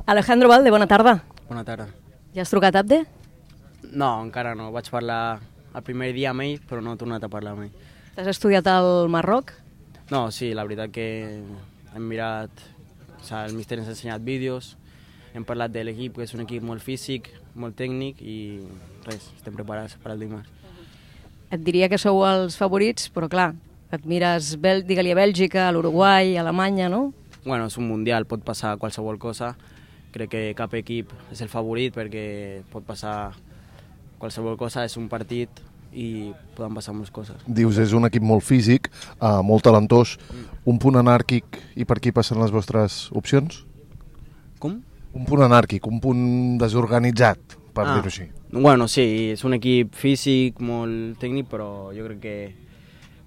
Alejandro Valde, bona tarda. Bona tarda. Ja has trucat a Abde? No, encara no. Vaig parlar el primer dia amb ell, però no he tornat a parlar amb ell. T'has estudiat al Marroc? No, sí, la veritat que hem mirat... O sigui, el míster ens ha ensenyat vídeos, hem parlat de l'equip, que és un equip molt físic, molt tècnic i res, estem preparats per al dimarts. Et diria que sou els favorits, però clar, et mires, digue-li a Bèlgica, a l'Uruguai, a Alemanya, no? Bueno, és un mundial, pot passar qualsevol cosa. Crec que cap equip és el favorit perquè pot passar qualsevol cosa, és un partit i poden passar moltes coses. Dius, és un equip molt físic, molt talentós, un punt anàrquic i per aquí passen les vostres opcions? Com? Un punt anàrquic, un punt desorganitzat, per dir-ho així. Bueno, sí, és un equip físic, molt tècnic, però jo crec que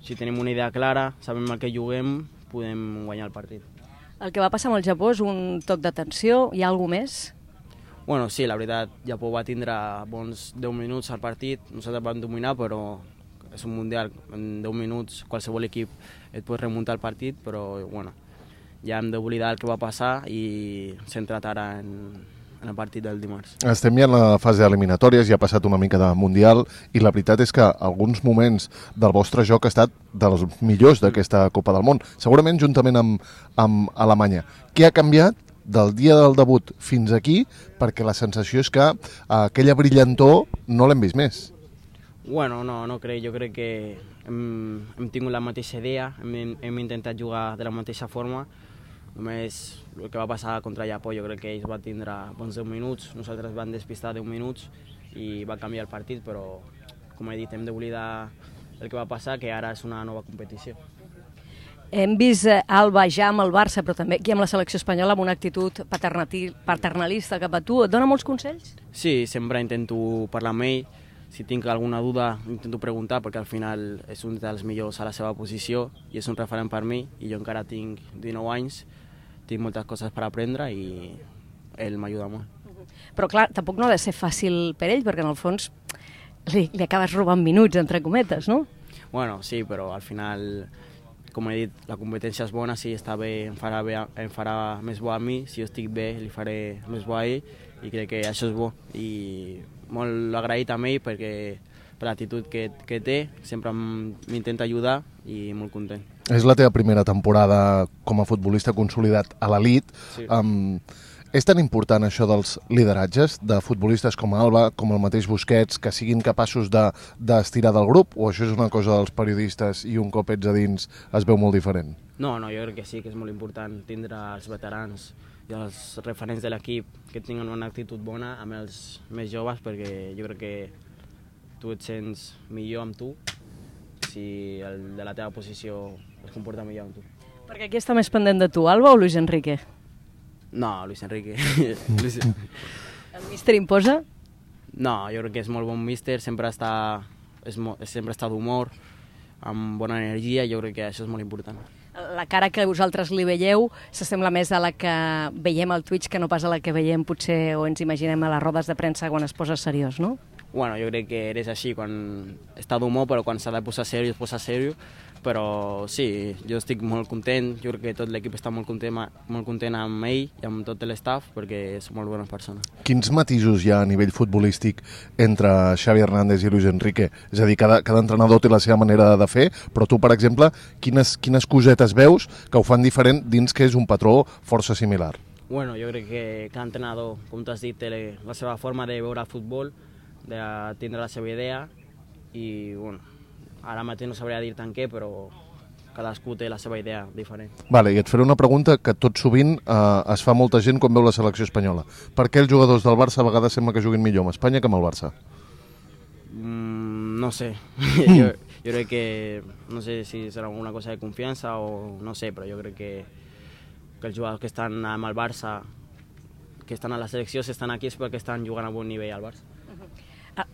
si tenim una idea clara, sabem el que juguem, podem guanyar el partit. El que va passar amb el Japó és un toc d'atenció, hi ha alguna més? Bueno, sí, la veritat, Japó va tindre bons 10 minuts al partit, nosaltres vam dominar, però és un mundial, en 10 minuts qualsevol equip et pot remuntar el partit, però bueno, ja hem d'oblidar el que va passar i centrat ara en el partit del dimarts. Estem ja en la fase eliminatòries, ja ha passat una mica de Mundial i la veritat és que alguns moments del vostre joc ha estat dels millors d'aquesta Copa del Món, segurament juntament amb Alemanya. Què ha canviat del dia del debut fins aquí perquè la sensació és que aquella brillantor no l'hem vist més? Bueno, no crec, jo crec que hem tingut la mateixa idea, hem intentat jugar de la mateixa forma. Només el que va passar contra Japó, jo crec que ells van tindre bons 10 minuts, nosaltres vam despistar 10 minuts i va canviar el partit, però com he dit, hem d'oblidar el que va passar, que ara és una nova competició. Hem vist Alba ja amb el Barça, però també aquí amb la selecció espanyola amb una actitud paternalista cap a tu. Et dona molts consells? Sí, sempre intento parlar amb ell. Si tinc alguna duda, intento preguntar, perquè al final és un dels millors a la seva posició i és un referent per mi, i jo encara tinc 19 anys, tinc moltes coses per aprendre i ell m'ajuda molt. Però clar, tampoc no ha de ser fàcil per ell, perquè en el fons li acabes robant minuts, entre cometes, no? Bueno, sí, però al final, com he dit, la competència és bona, si està bé em farà més bo a mi, si jo estic bé li faré més bo a ell, i crec que això és bo. I molt agraït a ell perquè per l'actitud que té, sempre m'intenta ajudar i molt content. És la teva primera temporada com a futbolista consolidat a l'elit. Sí. És tan important això dels lideratges de futbolistes com Alba, com el mateix Busquets, que siguin capaços d'estirar del grup, o això és una cosa dels periodistes i un cop ets a dins es veu molt diferent? No, jo crec que sí, que és molt important tindre els veterans i els referents de l'equip que tinguin una actitud bona amb els més joves, perquè jo crec que tu et sents millor amb tu si el de la teva posició es comporta millor amb tu. Perquè aquí està més pendent de tu, Alba o Luis Enrique? No, Luis Enrique. El míster imposa? No, jo crec que és molt bon míster, sempre està d'humor, amb bona energia, i jo crec que això és molt important. La cara que vosaltres li veieu s'assembla més a la que veiem al Twitch que no pas a la que veiem potser o ens imaginem a les rodes de premsa quan es posa seriós, no? Bueno, jo crec que eres així quan està d'humor, però quan s'ha de posar seriós, es posa seriós. Però sí, jo estic molt content, jo crec que tot l'equip està molt content amb ell i amb tot l'staff perquè són molt bones persones. Quins matisos hi ha a nivell futbolístic entre Xavi Hernández i Luis Enrique? És a dir, cada entrenador té la seva manera de fer, però tu, per exemple, quines cosetes veus que ho fan diferent dins que és un patró força similar? Bueno, jo crec que cada entrenador, com tu has dit, té la seva forma de veure el futbol, de tindre la seva idea i, bueno, ara mateix no sabria dir tant què, però cadascú té la seva idea diferent. Vale, i et faré una pregunta que tot sovint es fa molta gent quan veu la selecció espanyola. Per què els jugadors del Barça a vegades sembla que juguin millor amb Espanya que amb el Barça? No sé. jo crec que, no sé si serà alguna cosa de confiança o no sé, però jo crec que els jugadors que estan amb el Barça, que estan a la selecció, si estan aquí és perquè estan jugant a bon nivell al Barça.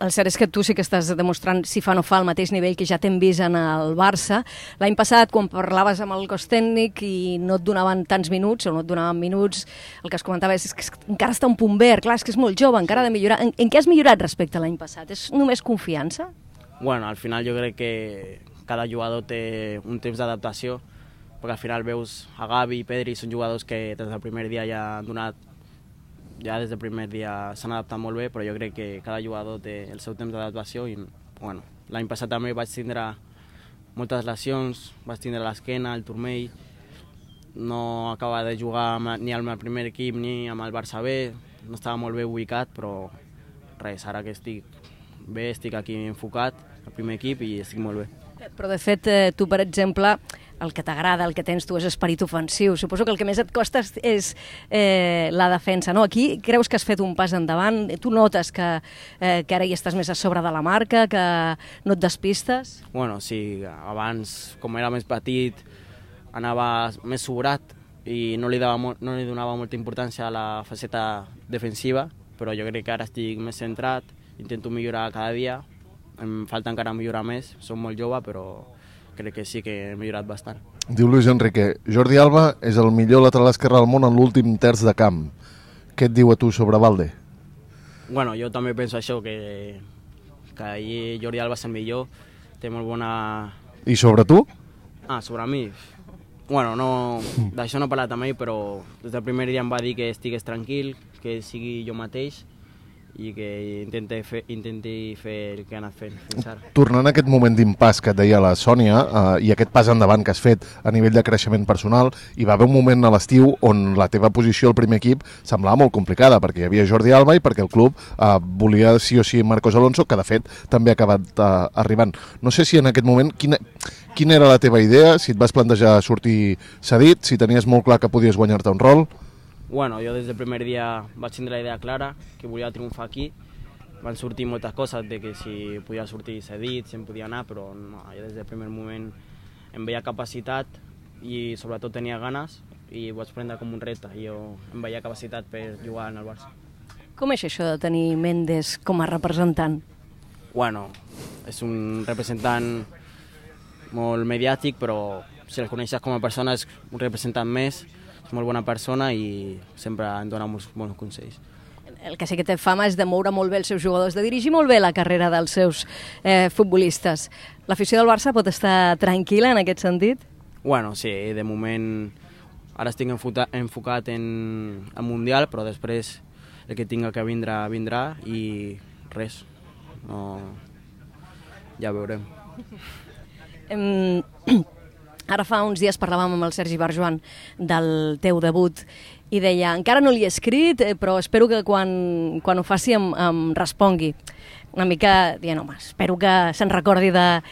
El cert és que tu sí que estàs demostrant si fa o no fa el mateix nivell que ja t'hem vist en el Barça. L'any passat, quan parlaves amb el cos tècnic i no et donaven tants minuts, o no et donaven minuts, el que es comentava és que encara està un punt verd, clar, és que és molt jove, encara ha de millorar. En què has millorat respecte a l'any passat? És només confiança? Bueno, al final jo crec que cada jugador té un temps d'adaptació, perquè al final veus a Gavi i Pedri, són jugadors que des del primer dia ja han donat ja des del primer dia s'han adaptat molt bé, però jo crec que cada jugador té el seu temps d'adaptació i bueno, l'any passat també vaig tindre moltes lesions, vaig tindre l'esquena, el turmell, no acaba de jugar ni amb el primer equip ni amb el Barça B, no estava molt bé ubicat, però res, ara que estic bé, estic aquí enfocat al primer equip i estic molt bé. Però de fet, tu, per exemple, el que t'agrada, el que tens tu és esperit ofensiu. Suposo que el que més et costa és la defensa, no? Aquí creus que has fet un pas endavant? Tu notes que ara hi estàs més a sobre de la marca, que no et despistes? Bueno, sí, abans, com era més petit, anava més sobrat i no li donava molta importància a la faceta defensiva, però jo crec que ara estic més centrat, intento millorar cada dia, em falta encara millorar més, som molt jove, però crec que sí que he millorat bastant. Diu Luis Enrique, Jordi Alba és el millor lateral esquerre del món en l'últim terç de camp. Què et diu a tu sobre Valde? Bueno, jo també penso això, que ahir Jordi Alba és el millor, té molt bona... I sobre tu? Ah, sobre mi? Bueno, no, d'això no he parlat amb ell, però des del primer dia em va dir que estigués tranquil, que sigui jo mateix i que intenti fer el que ha anat fent fins ara. Tornant a aquest moment d'impàs que et deia la Sònia i aquest pas endavant que has fet a nivell de creixement personal, hi va haver un moment a l'estiu on la teva posició al primer equip semblava molt complicada perquè hi havia Jordi Alba i perquè el club volia sí o sí Marcos Alonso, que de fet també ha acabat arribant. No sé si en aquest moment quina era la teva idea, si et vas plantejar sortir cedit, si tenies molt clar que podies guanyar-te un rol. Bueno, jo des del primer dia vaig tindre la idea clara, que volia triomfar aquí. Van sortir moltes coses de que si podia sortir cedit, si em podia anar, però no, jo des del primer moment em veia capacitat i sobretot tenia ganes i ho vaig prendre com un repte. Jo em veia capacitat per jugar en el Barça. Com és això de tenir Méndez com a representant? Bueno, és un representant molt mediàtic, però si el coneixes com a persona és un representant més, és molt bona persona i sempre em dona molts bons consells. El que sí que té fama és de moure molt bé els seus jugadors, de dirigir molt bé la carrera dels seus futbolistes. L'afició del Barça pot estar tranquil·la en aquest sentit? Bueno, sí, de moment ara estic enfocat en el Mundial, però després el que tinga que vindrà, vindrà i res, no... ja veurem. Ara fa uns dies parlàvem amb el Sergi Barjuan del teu debut i deia, encara no li he escrit, però espero que quan ho faci em respongui. Una mica dient, home, espero que se'n recordi de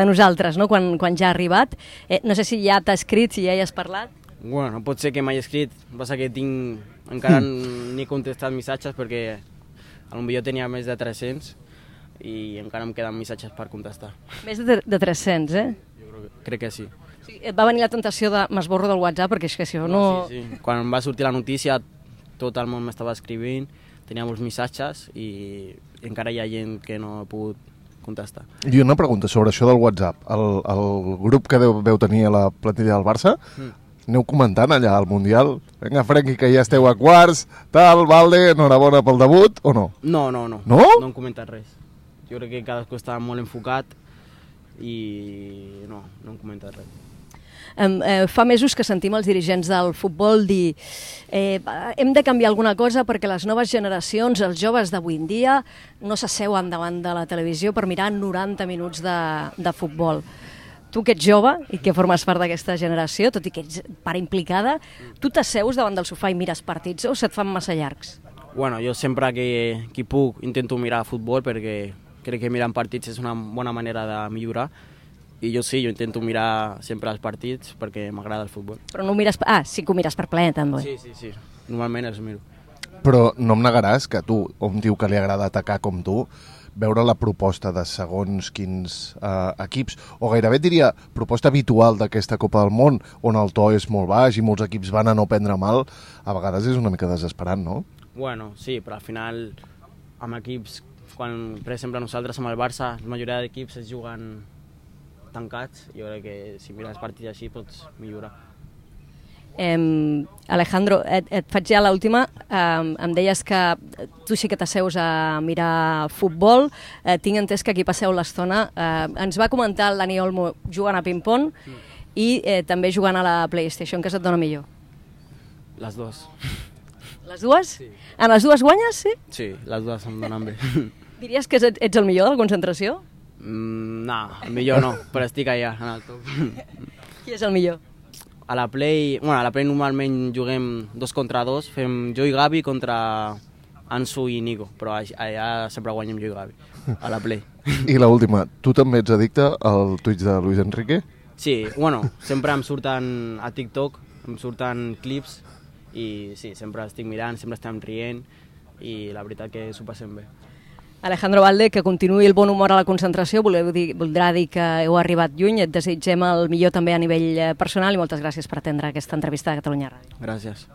nosaltres, no? Quan ja ha arribat. No sé si ja t'ha escrit, si ja hi has parlat. Bueno, pot ser que m'hagi escrit, passa que encara ni he contestat missatges perquè potser tenia més de 300 i encara em queden missatges per contestar. Més de 300, eh? Crec que sí. Sí, et va venir la tentació de m'esborro del WhatsApp perquè és que si no... Sí. Quan va sortir la notícia tot el món m'estava escrivint, tenia molts missatges i encara hi ha gent que no he pogut contestar. I una pregunta sobre això del WhatsApp. El grup que veu tenir a la plantilla del Barça, aneu comentant allà al Mundial? Vinga, Frenkie, que ja esteu a quarts, tal, Valde, enhorabona pel debut, o no? No? No? No hem comentat res. Jo crec que cadascú estava molt enfocat i no hem comentat res. Fa mesos que sentim els dirigents del futbol dir hem de canviar alguna cosa perquè les noves generacions, els joves d'avui en dia, no s'asseuen davant de la televisió per mirar 90 minuts de futbol. Tu que ets jove i que formes part d'aquesta generació, tot i que ets part implicada, tu t'asseus davant del sofà i mires partits o se't fan massa llargs? Bueno, jo sempre que puc intento mirar futbol perquè crec que mirant partits és una bona manera de millorar i jo sí, jo intento mirar sempre els partits perquè m'agrada el futbol. Però no ho mires... Ah, sí que ho mires per plaer, també. Sí. Normalment els miro. Però no em negaràs que tu, un tio que li agrada atacar com tu, veure la proposta de segons quins equips, o gairebé diria proposta habitual d'aquesta Copa del Món, on el to és molt baix i molts equips van a no prendre mal, a vegades és una mica desesperant, no? Bueno, sí, però al final amb equips, quan per exemple nosaltres amb el Barça, la majoria d'equips es juguen tancats, jo crec que si mires partits així pots millorar. Alejandro, et faig ja l'última. Em deies que tu sí que t'asseus a mirar futbol. Tinc entès que aquí passeu l'estona. Ens va comentar el Dani Olmo jugant a ping-pong i també jugant a la PlayStation. Què se't dona millor? Les dues. Les dues? Sí. En les dues guanyes, sí? Sí, les dues em donen bé. Diries que ets el millor de la concentració? No, millor no, però estic allà, en el top. Qui és el millor? A la Play normalment juguem 2 contra 2, fem jo i Gavi contra Ansu i Nico, però allà sempre guanyem jo i Gavi, a la Play. I l'última, tu també ets addicte al Twitch de Luis Enrique? Sí, sempre em surten a TikTok, em surten clips i sí, sempre estic mirant, sempre estem rient i la veritat que s'ho passem bé. Alejandro Valde, que continuï el bon humor a la concentració, voldrà dir que heu arribat lluny, et desitgem el millor també a nivell personal i moltes gràcies per atendre aquesta entrevista de Catalunya Ràdio. Gràcies.